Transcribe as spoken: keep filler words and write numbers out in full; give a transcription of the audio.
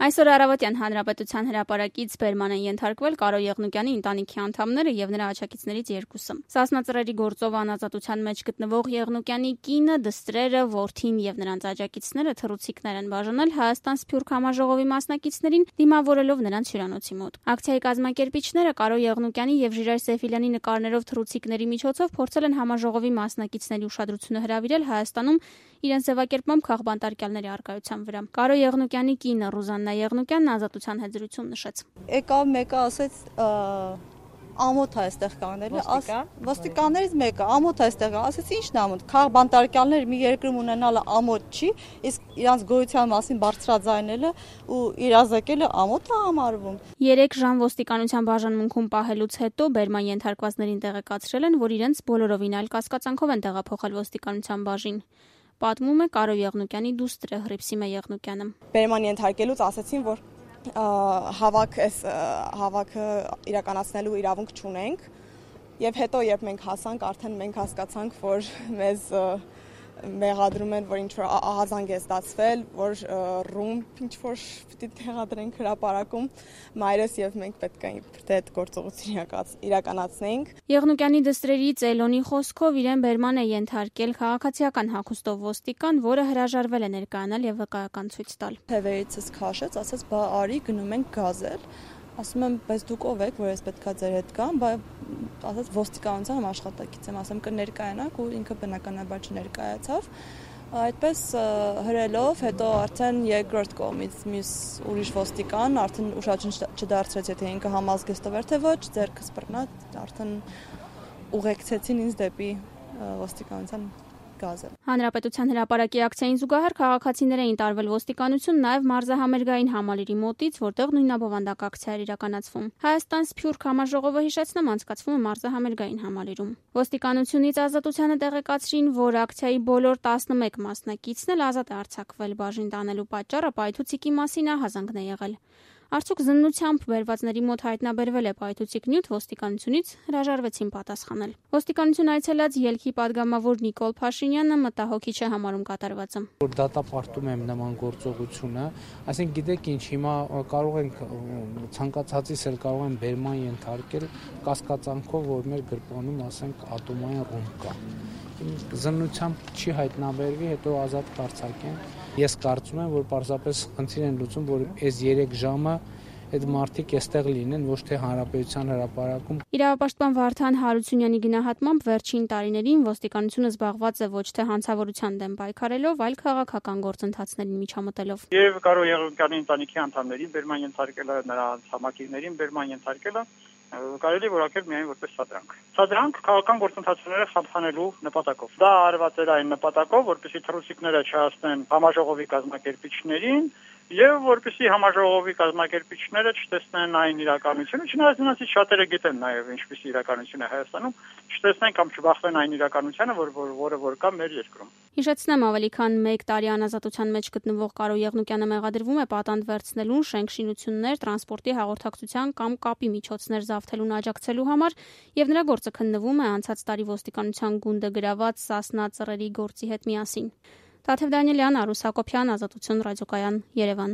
Այսօր առավոտյան Հանրապետության հրապարակից բերման են ենթարկվել Կարո Եղնուկյանի ընտանիքի անդամները եւ նրա աջակիցներից երկուսը։ Սասնա Ծռերի գործով անազատության մեջ գտնվող Եղնուկյանի կինը, դստրերը, որդին եւ նրանց աջակիցները թռուցիկներ են բաժանել Հայաստան Սփյուռք համաժողովի մասնակիցներին, դիմավորելով նրանց հյուրանոցի մոտ։ Ակցիայի կազմակերպիչները Կարո Եղնուկյանի եւ Ժիրայր Սեֆիլյանի նկարներով թռուցիկների միջոցով փորձել են համաժողովի մասնակիցների ուշադրությունը հրավիրել Հայաստանում իրենց ձևակերպմամբ քաղբանտարկյալների առկայության վրա։ Կարո Եղնուկյանի կինը Ռուզաննա Եղնուկյանն ազատության հետ զրույցում նշեց. Եկավ մեկը ասեց ամոթ է այստեղ կանել, ոստիկաններից մեկը ամոթ է այստեղ, ասեց ի՞նչն է ամոթ, քաղբանտարկյալներ մի երկրում ունենալը ամոթ չի, իսկ իրանց գոյության մասին բարձրաձայնելը ու իրազեկելը ամոթ է համարվում։ Երեք ժամ ոստիկանության բաժանմունքում պահելուց հետո բերման ենթարկվածներին տեղեկացրել են, որ իրենց բոլորովին այլ կասկածանքով են տեղափոխել ոստիկանության բաժին։ Պատմում է Կարո Եղնուկյանի դուստրը Հռիփսիմե Եղնուկյանը։ Բերման ենթարկելուց ասացին, որ հավաք էս հավաքը իրականացնելու իրավունք չունենք, եւ հետո երբ մենք հասանք, արդեն մենք հասկացանք, որ մեզ մեղադրում են, որ ինչ-որ ահազանգ է ստացվել, որ ռումբ ինչ-որ պիտի տեղադրենք հրապարակում, մայրս եւ մենք պետք է այդ գործողություն իրականացնենք։ Եղնուկյանի դստրերի Ծելոնի խոսքով իրեն բերման է ենթարկել քաղաքացիական հագուստով ոստիկան, որը հրաժարվել է ներկայանալ եւ վկայական ցույց տալ։ Թևերիցս քաշեց, ասաց՝ «Բա արի, գնում ենք գազել»։ Ասում եմ, բայց դուք ով եք, որ ես պետքա ձեր հետ գամ, բայց ասաց ոստիկանության աշխատակից եմ, ասեմ կներկայանաք ու ինքը բնականաբար չներկայացավ։ Այդպես հրելով, հետո արդեն երկրորդ կողմից մյուս ուրիշ ոստիկան արդեն ուշադրություն չդարձրեց, եթե ինքը համազգեստով էր թե ոչ, ձեռքս բռնած, արդեն ուղեկցեցին ինձ դեպի ոստիկանության գազը։ Հանրապետության հրապարակի ակցիային զուգահեռ քաղաքացիներ էին տարվել ոստիկանություն նաև մարզահամերգային համալիրի մոտից, որտեղ նույնաբովանդակ ակցիա էր իրականացվում։ Հայաստան Սփյուռք համաժողովը հիշեցնեմ անցկացվում է մարզահամերգային համալիրում։ Ոստիկանությունից ազատությանը տեղեկացրին, որ ակցիայի բոլոր տասնմեկ մասնակիցն էլ ազատ է արձակվել, բաժին տանելու պատճառը պայթուցիկի մասին ահազանգն է եղել։ Արդյոք զննությամբ բերվածների մոտ հայտնաբերվել է պայթուցիկ նյութ, ոստիկանությունից հրաժարվեցին պատասխանել։ Ոստիկանություն այցելած ելքի падգամավոր Նիկոլ Փաշինյանը մտահոգիչ է համարում կատարվածը։ Որ դատապարտում եմ նման գործողությունը, այսինքն գիտեք ինչ, հիմա կարող ենք ցանկացածից էլ կարող են բերման ենթարկել կասկածանքով, որ մեր գրպանում, ասենք, ատոմային ռումբ կա։ Զննությամբ չի հայտնաբերվի, հետո ազատ կարձակեն։ Ես կարծում եմ, որ պարզապես խնդիր են լուծում, որ այս երեք ժամը այդ մարդիկ այստեղ լինեն, ոչ թե հանրապետության հրապարակում։ Իրավապաշտպան Վարդան Հարությունյանի գնահատմամբ վերջին տարիներին ոստիկանությունը զբաղված է ոչ թե հանցավորության դեմ պայքարելով, այլ քաղաքական գործընթացներին միջամտելով։ Եվ Կարո Եղնուկյանի ընտանիքի անդամներին բերման ենթարկելը, նրա համակիցներին բերման ենթարկելը կարելի որակել միայն որպես սադրանք։ Սադրանք քաղաքական գործընթացները խափանելու նպատակով։ Դա արված էր այն նպատակով, որպեսզի թռուցիկները չհասնեն համաժողովի կազմակերպիչներին եւ որպեսզի համաժողովի կազմակերպիչները չտեսնեն այն իրականությունը, չնայած նրանցից շատերը գիտեն նաեւ ինչպիսի իրականություն է Հայաստանում, չտեսնեն կամ չբախվեն այն իրականությանը, որ որը որ կա մեր երկրում։ Հիշեցնեմ, ավելի քան մեկ տարի անազատության մեջ գտնվող Կարո Եղնուկյանը մեղադրվում է պատանդ վերցնելուն, շենք-շինություններ, տրանսպորտի հաղորդակցության կամ կապի միջոցներ զավթելուն աջակցելու համար, եւ նրա գործը քննվում է անցած տարի ոստիկանության գունդը գրաված Սասնա Ծռերի գործի հետ միասին։ Տաթև Դանիելյան, Արուս Հակոբյան, Ազատություն ռադիոկայան, Երևան։